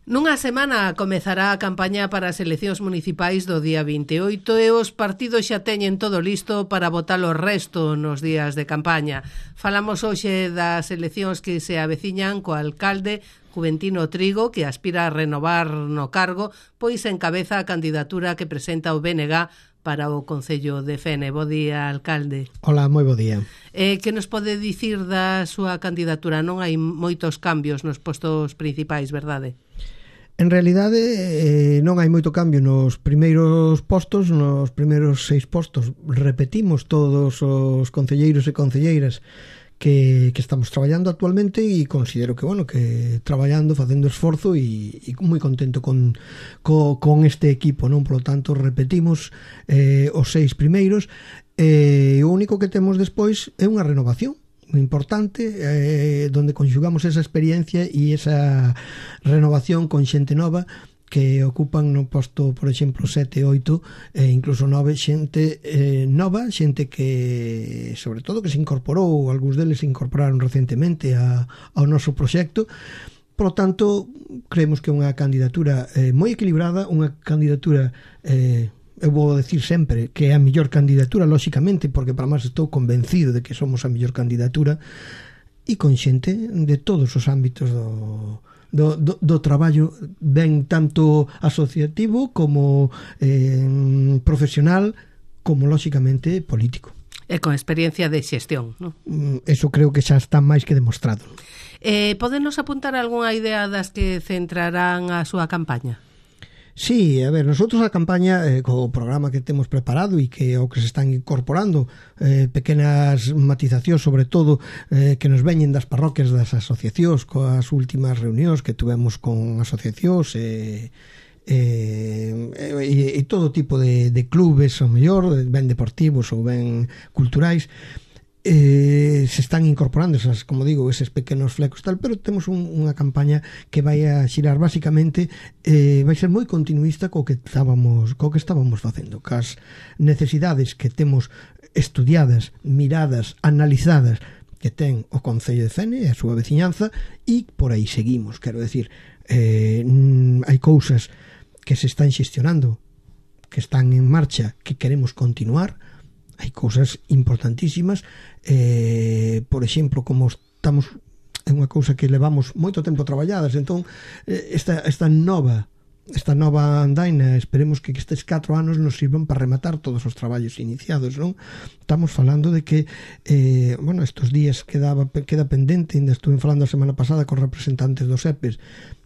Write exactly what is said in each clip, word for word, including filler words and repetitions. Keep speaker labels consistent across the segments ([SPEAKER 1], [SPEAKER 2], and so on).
[SPEAKER 1] Nunha semana comezará a campaña para as eleccións municipais do día vinte e oito e os partidos xa teñen todo listo para votar o resto nos días de campaña. Falamos hoxe das eleccións que se aveciñan co alcalde Juventino Trigo, que aspira a renovar no cargo, pois encabeza a candidatura que presenta o B N G para o Concello de Fene. Bo día, alcalde.
[SPEAKER 2] Hola, moi bo día.
[SPEAKER 1] Eh, que nos pode dicir da súa candidatura? Non hai moitos cambios nos postos principais, verdade?
[SPEAKER 2] En realidade, eh, non hai moito cambio nos primeiros postos, nos primeiros seis postos. Repetimos todos os concelleiros e concelleiras que, que estamos traballando actualmente e considero que, bueno, que traballando, facendo esforzo e, e moi contento con, co, con este equipo, non? Por lo tanto, repetimos eh, os seis primeiros e eh, o único que temos despois é unha renovación importante, eh, donde conxugamos esa experiencia e esa renovación con xente nova que ocupan no posto, por exemplo, sete, oito e incluso nove, xente eh, nova, xente que sobre todo que se incorporou, algúns deles se incorporaron recentemente a, ao noso proxecto. Por lo tanto, creemos que é unha candidatura eh, moi equilibrada, unha candidatura eh, eu vou decir sempre que é a mellor candidatura, lóxicamente, porque para máis estou convencido de que somos a mellor candidatura, e con xente de todos os ámbitos do, do, do, do traballo, ben tanto asociativo como eh, profesional, como lóxicamente político.
[SPEAKER 1] E con experiencia de xestión, non?
[SPEAKER 2] Eso creo que xa está máis que demostrado.
[SPEAKER 1] Eh, Pódenos apuntar algunha idea das que centrarán a súa campaña?
[SPEAKER 2] Sí, a ver, nosotros a campaña eh, co programa que temos preparado e que o que se están incorporando eh, pequenas matizacións, sobre todo eh, que nos veñen das parroquias das asociacións, coas últimas reunións que tuvemos con asociacións e eh, e, e todo tipo de, de clubes, ou mellor, ben deportivos ou ben culturais. Eh, se están incorporando esas, como digo, eses pequenos flecos tal, pero temos un, unha campaña que vai a xirar basicamente, eh, vai ser moi continuista co que estábamos co que estábamos facendo, cas necesidades que temos estudiadas, miradas, analizadas que ten o Concello de Fene e a súa veciñanza, e por aí seguimos. Quero decir, eh, hai cousas que se están xestionando, que están en marcha, que queremos continuar. Hai cousas importantísimas, eh, por exemplo, como estamos, é unha cousa que levamos moito tempo traballadas, entón esta, esta nova esta nova andaina, esperemos que estes catro anos nos sirvan para rematar todos os traballos iniciados, non? Estamos falando de que eh, bueno, estes días quedaba, queda pendente, ainda estuve falando a semana pasada con representantes dos E P E S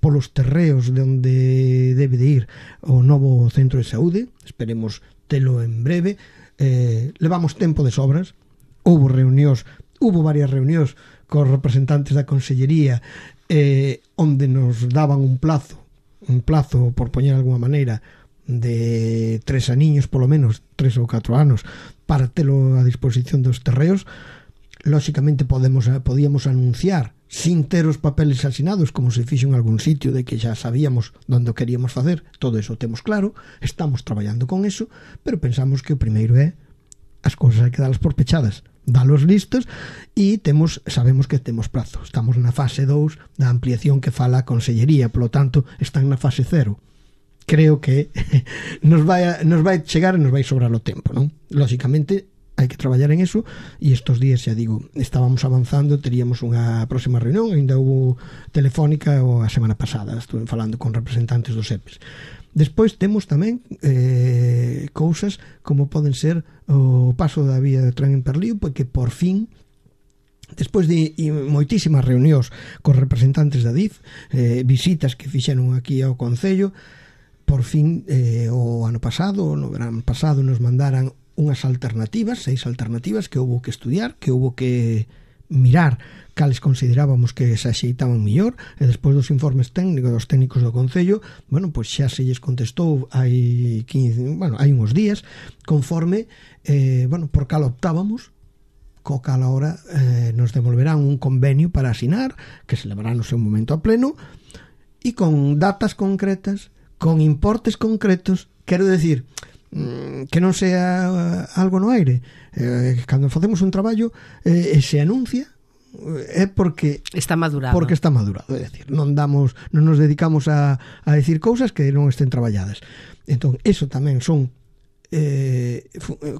[SPEAKER 2] polos terreos de onde debe de ir o novo centro de saúde, esperemos telo en breve. Eh, levamos tempo de sobras, houve reunións, houve varias reunións cos representantes da Consellería eh, onde nos daban un plazo, un plazo, por poñer alguma maneira, de tres aniños, polo menos, tres ou catro anos, para telo a disposición dos terreos. Lóxicamente podemos, podíamos anunciar sin ter os papeles asinados, como se fixo en algún sitio, de que xa sabíamos onde queríamos facer. Todo eso temos claro, estamos traballando con eso, pero pensamos que o primeiro é as cousas hai que dalas por pechadas, dalos listos, e temos, sabemos que temos prazo. Estamos na fase dous da ampliación que fala a Consellería, polo tanto están na fase cero. Creo que nos vai, a, nos vai chegar e nos vai sobrar o tempo, non? Lóxicamente hai que traballar en eso, e estos días, xa digo, estábamos avanzando, teríamos unha próxima reunión, ainda hubo telefónica o a semana pasada, estuve falando con representantes dos E P E S. Despois temos tamén eh, cousas como poden ser o paso da vía de tren en Perlío, porque por fin, despois de moitísimas reunións con representantes da D I F, eh, visitas que fixeron aquí ao Concello, por fin eh, o ano pasado, no verán pasado, nos mandaran unhas alternativas, seis alternativas que houve que estudiar, que houve que mirar cales considerábamos que se axeitaban mellor, e despois dos informes técnicos dos técnicos do Concello, bueno, pois xa se lles contestou hai quince, bueno, hai uns días, conforme eh, bueno, por cal optábamos, co cal ahora eh, nos devolverán un convenio para asinar, que se levará no seu momento a pleno, e con datas concretas, con importes concretos. Quero decir que non sea algo no aire, eh, cando facemos un traballo eh, se anuncia é porque
[SPEAKER 1] está madurado.
[SPEAKER 2] Porque está madurado, é dicir, non damos, non nos dedicamos a, a decir cousas que non estén traballadas. Entón, eso tamén son eh,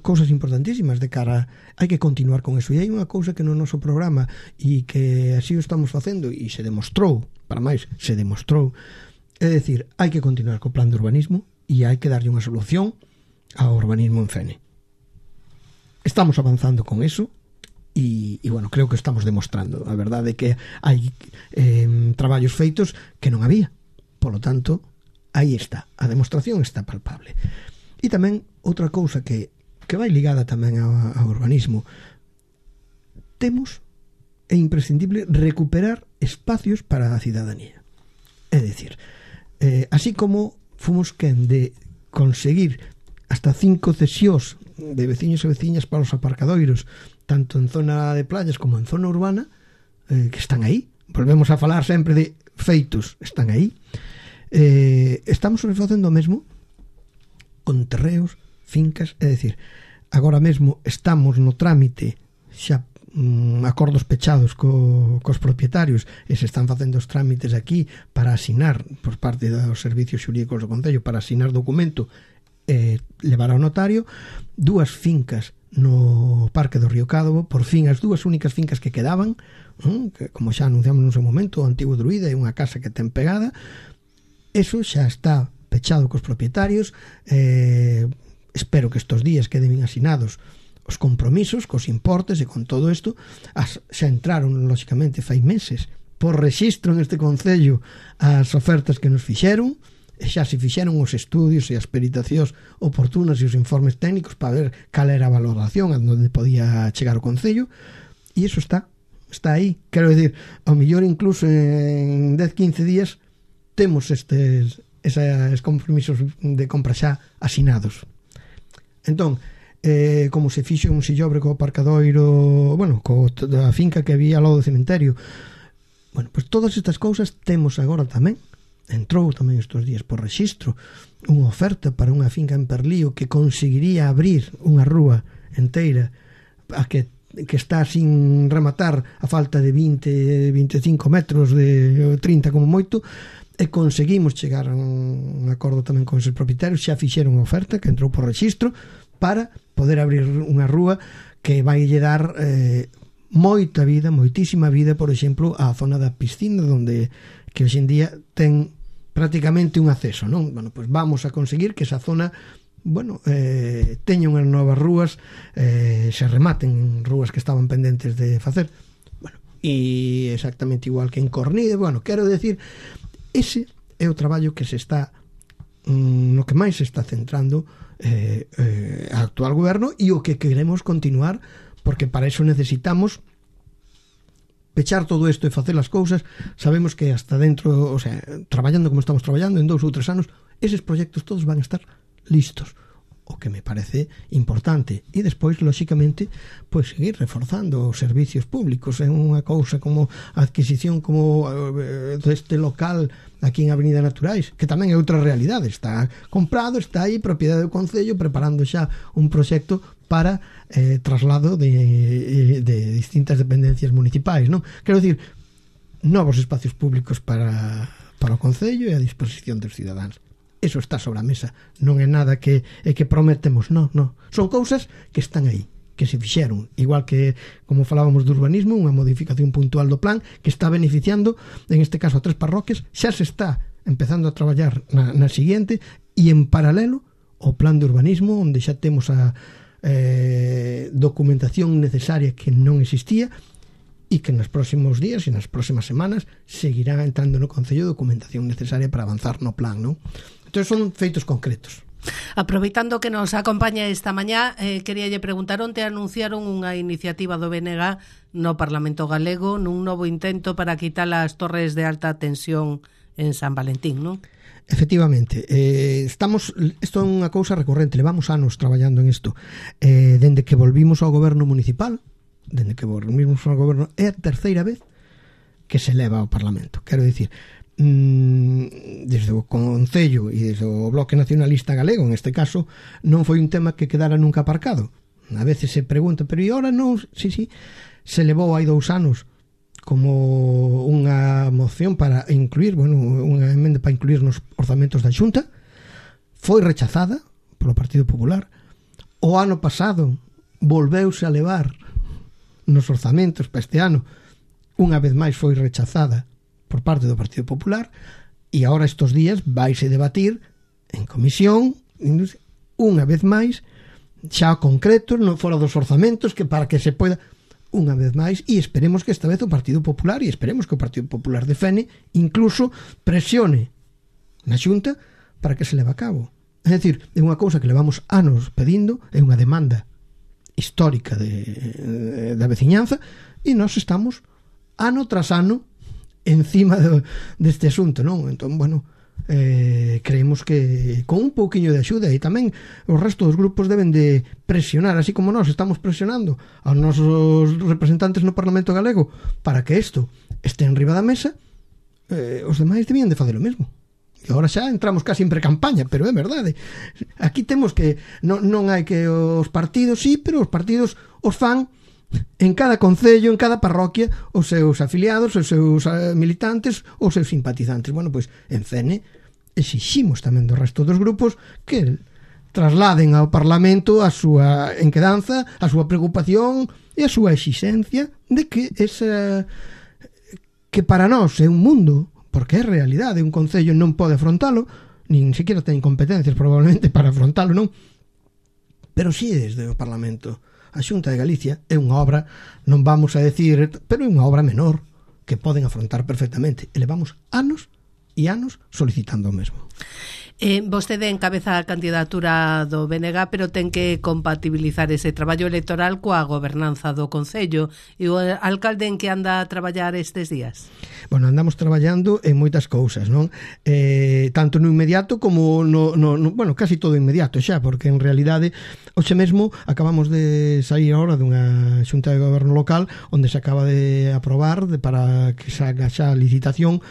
[SPEAKER 2] cousas importantísimas de cara, hai que continuar con eso. E hai unha cousa que no noso programa e que así o estamos facendo e se demostrou, para máis, se demostrou, é dicir, hai que continuar co plan de urbanismo e hai que darlle unha solución ao urbanismo en Fene. Estamos avanzando con eso. E, e bueno, creo que estamos demostrando a verdade que hai eh, traballos feitos que non había, polo tanto aí está, a demostración está palpable. E tamén outra cousa que, que vai ligada tamén ao, ao urbanismo, temos, é imprescindible recuperar espacios para a cidadanía, é dicir, eh, así como fomos quen de conseguir hasta cinco cesións de veciños e veciñas para os aparcadoiros tanto en zona de playas como en zona urbana, eh, que están aí. Volvemos a falar sempre de feitos, están aí. Eh, estamos facendo o mesmo con terreos, fincas, é dicir, agora mesmo estamos no trámite xa mm, acordos pechados co, cos propietarios e se están facendo os trámites aquí para asinar por parte dos servicios xurídicos do Concello para asinar documento e levar ao notario dúas fincas no Parque do Río Cádovo, por fin as dúas únicas fincas que quedaban, ¿eh? Que, como xa anunciamos no seu momento, o antigo Druida e unha casa que ten pegada, eso xa está pechado cos propietarios. eh, espero que estos días queden asinados os compromisos cos importes e con todo isto. As, xa entraron, lóxicamente, fai meses por rexistro neste Concello as ofertas que nos fixeron, e xa se fixeron os estudios e as peritacións oportunas e os informes técnicos para ver cal era a valoración a onde podía chegar o Concello, e iso está está aí, quero dicir, ao mellor incluso en dez, quince días temos estes eses compromisos de compra xa asinados. Entón, eh, como se fixo un sillobre co aparcadoiro, bueno, co a finca que había ao lado do cementerio, bueno, pois pues todas estas cousas temos agora tamén. Entrou tamén estes días por rexistro unha oferta para unha finca en Perlío que conseguiría abrir unha rúa enteira a que, que está sin rematar a falta de vinte, vinte e cinco metros, de trinta como moito, e conseguimos chegar a un acordo tamén con esos propietarios. Xa fixeron a oferta que entrou por rexistro para poder abrir unha rúa que vai lle dar eh, moita vida, moitísima vida, por exemplo, á zona da piscina, onde que hoxe en día ten prácticamente un acceso, non? Bueno, pois vamos a conseguir que esa zona, bueno, eh, teña unhas novas rúas, eh, se rematen rúas que estaban pendentes de facer. Bueno, e exactamente igual que en Cornide, bueno, quero decir, ese é o traballo que se está mm, no que máis se está centrando eh, eh, a actual goberno e o que queremos continuar, porque para eso necesitamos pechar todo isto e facer as cousas. Sabemos que hasta dentro, o sea, traballando como estamos traballando, en dous ou tres anos, eses proxectos todos van a estar listos, o que me parece importante. E despois, lóxicamente, pois seguir reforzando os servicios públicos. É unha cousa como a adquisición como eh, deste local aquí en Avenida Naturais, que tamén é outra realidade. Está comprado, está aí, propiedade do Concello, preparando xa un proxecto para eh, traslado de, de distintas dependencias municipais, non? Quero dicir, novos espacios públicos para, para o Concello e a disposición dos cidadáns. Eso está sobre a mesa, non é nada que, é que prometemos, non, non. Son cousas que están aí, que se fixeron, igual que, como falábamos do urbanismo, unha modificación puntual do plan que está beneficiando, en este caso, a tres parroquias. Xa se está empezando a traballar na, na siguiente, e en paralelo o plan de urbanismo, onde xa temos a eh, documentación necesaria que non existía, e que nos próximos días e nas próximas semanas seguirá entrando no Concello documentación necesaria para avanzar no plan, non? Entón son feitos concretos.
[SPEAKER 1] Aproveitando que nos acompaña esta mañá, eh, queríalle preguntar onde anunciaron unha iniciativa do B N G no Parlamento Galego nun novo intento para quitar as torres de alta tensión en San Valentín, non?
[SPEAKER 2] Efectivamente, eh, estamos, isto é unha cousa recorrente, levamos anos traballando en isto, eh, dende que volvimos ao goberno municipal, dende que volvimos ao goberno, é a terceira vez que se leva ao Parlamento. Quero dicir, mmm, desde o Concello e desde o Bloque Nacionalista Galego, en este caso, non foi un tema que quedara nunca aparcado. A veces se pregunta, pero e ora non? Sí, sí, se levou hai dous anos como unha moción para incluir, bueno, unha emenda para incluir nos orzamentos da Xunta, foi rechazada polo Partido Popular. O ano pasado volveuse a levar nos orzamentos para este ano, unha vez máis foi rechazada por parte do Partido Popular, e agora estes días vaise debatir en comisión unha vez máis, xa concretos, non fora dos orzamentos, que para que se poida unha vez máis, e esperemos que esta vez o Partido Popular, e esperemos que o Partido Popular de Fene incluso presione na Xunta para que se leve a cabo. É dicir, é unha cousa que levamos anos pedindo, é unha demanda histórica de, da veciñanza, e nós estamos ano tras ano encima de, deste asunto, non? Entón, bueno, eh, creemos que con un pouquiño de axuda, e tamén o resto dos grupos deben de presionar, así como nós estamos presionando aos nosos representantes no Parlamento Galego para que isto este en riba da mesa, eh, os demais debían de facer o mesmo. E agora xa entramos casi en pre-campaña, pero é verdade. Aquí temos que non, non hai que os partidos, sí, pero os partidos os fan en cada concello, en cada parroquia, os seus afiliados, os seus militantes, os seus simpatizantes. Bueno, pois en Fene exiximos tamén do resto dos grupos que trasladen ao Parlamento a súa enquedanza, a súa preocupación e a súa exixencia de que esa, que para nós é un mundo, porque é realidade, un concello non pode afrontalo, nin siquiera ten competencias probablemente para afrontalo, non? Pero si desde o Parlamento. A Xunta de Galicia é unha obra, non vamos a decir, pero é unha obra menor que poden afrontar perfectamente. E levamos anos e anos solicitando o mesmo.
[SPEAKER 1] Eh, vostede encabeza a candidatura do B N G, pero ten que compatibilizar ese traballo electoral coa gobernanza do Concello. E o alcalde en que anda a traballar estes días?
[SPEAKER 2] Bueno, andamos traballando en moitas cousas, non? Eh, tanto no inmediato como no, no, no, bueno, casi todo inmediato xa, porque en realidade hoxe mesmo acabamos de sair agora dunha xunta de goberno local onde se acaba de aprobar de, para que se haga xa a licitación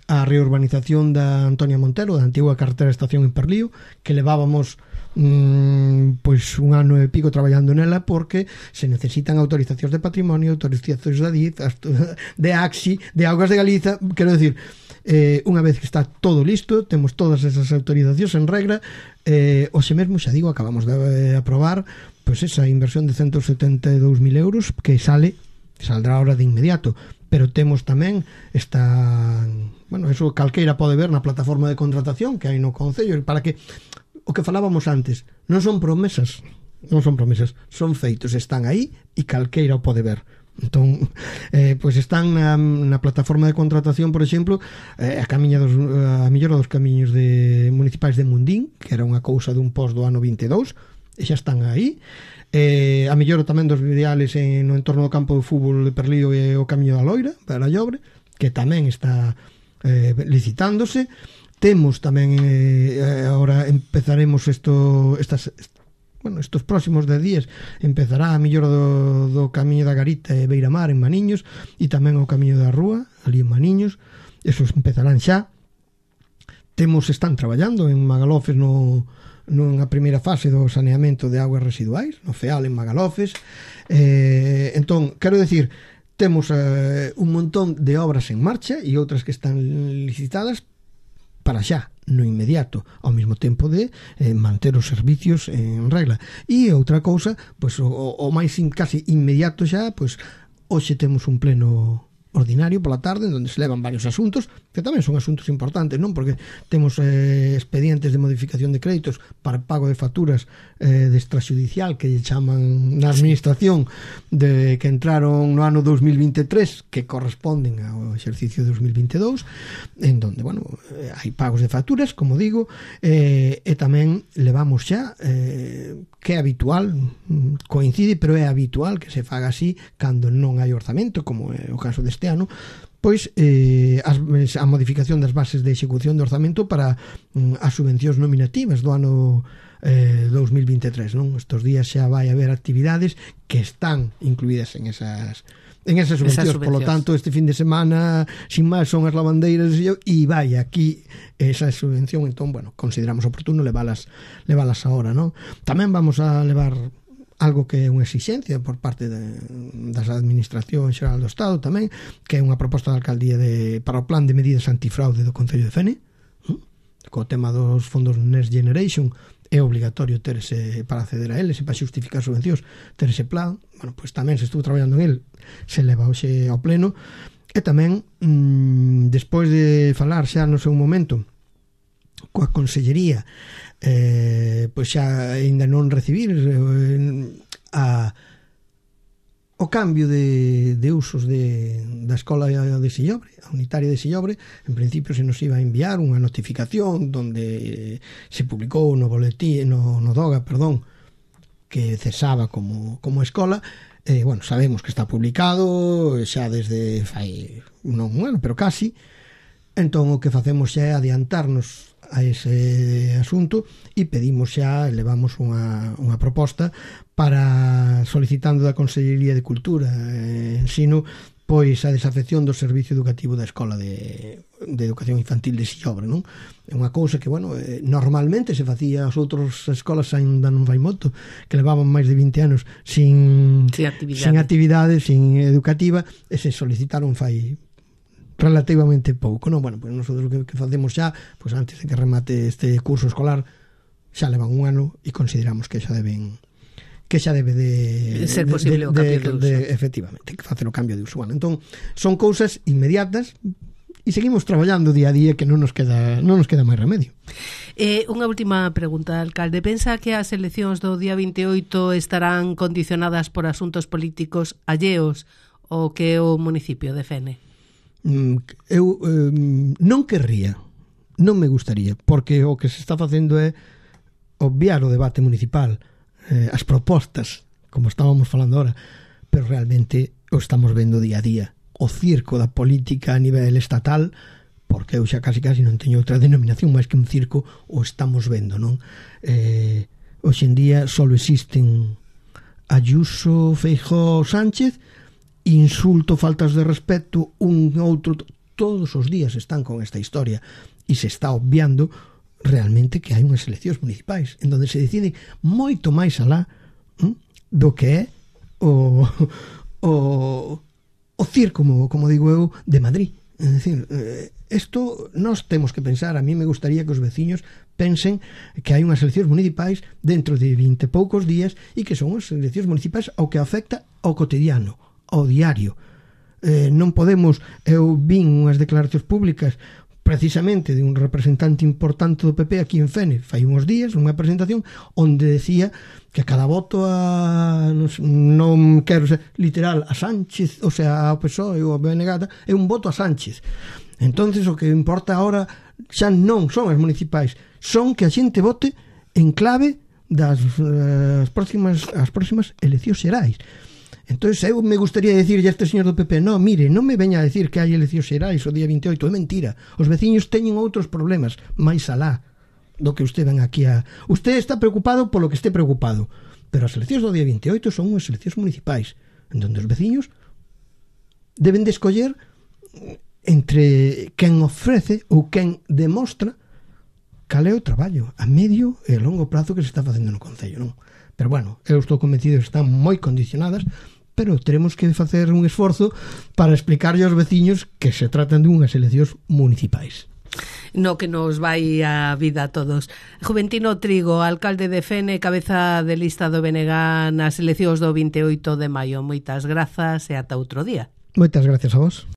[SPEAKER 2] a reurbanización da Antonia Montero, da antigua carretera de estación en Perlío, que levábamos mmm, pois un ano e pico traballando nela, porque se necesitan autorizacións de patrimonio, autorizacións de ADIF, de AXI, de Augas de Galiza, quero decir, eh, unha vez que está todo listo, temos todas esas autorizacións en regra, eh, hoxe mesmo, xa digo, acabamos de aprobar pois esa inversión de ciento setenta e dous mil euros que sale, saldrá ahora de inmediato, pero temos tamén esta, bueno, eso calqueira pode ver na plataforma de contratación que hai no Concello, para que o que falábamos antes, non son promesas, non son promesas, son feitos, están aí e calqueira o pode ver. Entón, eh, pois están na, na plataforma de contratación, por exemplo, eh, a camiña dos, a millora dos camiños de municipais de Mundín, que era unha cousa dun pos do ano vinte e dous, e xa están aí. Eh, a mellora tamén dos viales en, no entorno do campo de fútbol de Perlío e o camiño da Loira para a Llobre, que tamén está eh, licitándose. Temos tamén eh, agora empezaremos isto, estas, bueno, estos próximos dez días empezará a mellora do, do camiño da Garita e Beiramar en Maniños, e tamén o camiño da Rúa ali en Maniños, esos empezarán xa. Temos, están traballando en Magalofes no nunha primeira fase do saneamento de augas residuais, no FEAL en Magalofes. Eh, entón, quero decir, temos eh, un montón de obras en marcha e outras que están licitadas para xa, no inmediato, ao mesmo tempo de eh, manter os servicios en regla. E outra cousa, pois, o, o máis in, casi inmediato xa, pois, hoxe temos un pleno ordinario pola tarde, onde se levan varios asuntos, que tamén son asuntos importantes, non? Porque temos eh, expedientes de modificación de créditos para pago de facturas eh, de extrajudicial que chaman na administración de que entraron no ano dos mil vinte e tres, que corresponden ao exercicio dos mil vinte e dous, en donde, bueno, eh, hai pagos de facturas, como digo, eh, e tamén levamos xa eh, que é habitual, coincide, pero é habitual que se faga así cando non hai orzamento, como é o caso deste ano, pois eh, as, a modificación das bases de execución de orzamento para mm, as subvencións nominativas do ano eh, dos mil vinte e tres, non? Estos días xa vai haber actividades que están incluídas en esas en esas subvencións, por lo tanto, este fin de semana, sin máis, son as lavandeiras e vai aquí esa subvención, entón, bueno, consideramos oportuno levalas levalas ahora, non? Tamén vamos a levar algo que é unha exixencia por parte de, das administración xeral do Estado tamén, que é unha proposta da alcaldía de, para o plan de medidas antifraude do Concello de Fene, ¿no? Co tema dos fondos Next Generation é obligatorio ter ese, para acceder a eles e para justificar subvencións, ter ese plan. Bueno, pois tamén se estuvo traballando en el, se leva hoxe ao pleno. E tamén, mmm, despois de falar xa no seu momento coa Consellería, eh, pois xa ainda non recibir eh, a, o cambio de, de usos de, da escola de Sillobre, a unitaria de Sillobre. En principio se nos iba a enviar unha notificación donde se publicou no boletín, no, no DOGA, perdón, que cesaba como, como escola. Eh, bueno, sabemos que está publicado xa desde fai non un ano, pero casi. Entón o que facemos xa é adiantarnos a ese asunto e pedimos xa, elevamos unha, unha proposta para solicitando da Consellería de Cultura e Ensino pois a desafección do servicio educativo da Escola de, de Educación Infantil de Sillobre, non? É unha cousa que, bueno, eh, normalmente se facía as outras escolas ainda non vai moito, que levaban máis de vinte anos sin,
[SPEAKER 1] sin actividade,
[SPEAKER 2] sin, actividade, sin educativa, e se solicitaron fai relativamente pouco, non? Bueno, pois nosotros o que, que facemos xa, pois antes de que remate este curso escolar, xa levan un ano e consideramos que xa deben que xa debe de
[SPEAKER 1] ser posible
[SPEAKER 2] de,
[SPEAKER 1] o cambio de,
[SPEAKER 2] de,
[SPEAKER 1] uso.
[SPEAKER 2] De, efectivamente, que facer o cambio de uso. Bueno, entón, son cousas inmediatas e seguimos traballando día a día, que non nos queda non nos queda máis remedio.
[SPEAKER 1] Eh, unha última pregunta, alcalde. Pensa que as eleccións do día vinte e oito estarán condicionadas por asuntos políticos alleos ao que o municipio de Fene?
[SPEAKER 2] Eu eh, non querría, non me gustaría, porque o que se está facendo é obviar o debate municipal, eh, as propostas, como estábamos falando ahora, pero realmente o estamos vendo día a día. O circo da política a nivel estatal, porque eu xa casi casi non teño outra denominación máis que un circo, o estamos vendo, non? Eh, hoxe en día só existen Ayuso, Feijóo, Sánchez, insulto, faltas de respeto, un outro, todos os días están con esta historia e se está obviando realmente que hai unhas eleccións municipais en donde se decide moito máis alá ¿m? do que é o, o, o circo, como, como digo eu, de Madrid. É dicir, isto eh, nós temos que pensar, a mí me gustaría que os veciños pensen que hai unhas eleccións municipais dentro de vinte poucos días e que son as eleccións municipais ao que afecta ao cotidiano, ao diario. Eh, non podemos, eu vin unhas declaracións públicas precisamente de un representante importante do P P aquí en Fene fai uns días, unha presentación onde decía que cada voto a non, non quero ser literal a Sánchez, o sea, ao P S O E ou a B N G é un voto a Sánchez. Entonces o que importa agora xa non son as municipais, son que a xente vote en clave das uh, as próximas as próximas eleccións xerais. Entón, eu me gustaría decirlle a este señor do P P, no, mire, non me veña a decir que hai eleccións xerais o día vinte e oito, é mentira. Os veciños teñen outros problemas máis alá do que usted ven aquí a... Usted está preocupado polo que esté preocupado, pero as eleccións do día vinte e oito son unhas eleccións municipais, en donde os veciños deben de escoller entre quen ofrece ou quen demostra cal é o traballo a medio e a longo prazo que se está facendo no Concello, non? Pero bueno, eu estou convencido que están moi condicionadas, pero teremos que facer un esforzo para explicarlle aos veciños que se tratan de unhas eleccións municipais.
[SPEAKER 1] No que nos vai a vida a todos. Juventino Trigo, alcalde de Fene, cabeza de lista do B N G nas eleccións do vinte e oito de maio. Moitas grazas e ata outro día.
[SPEAKER 2] Moitas gracias a vos.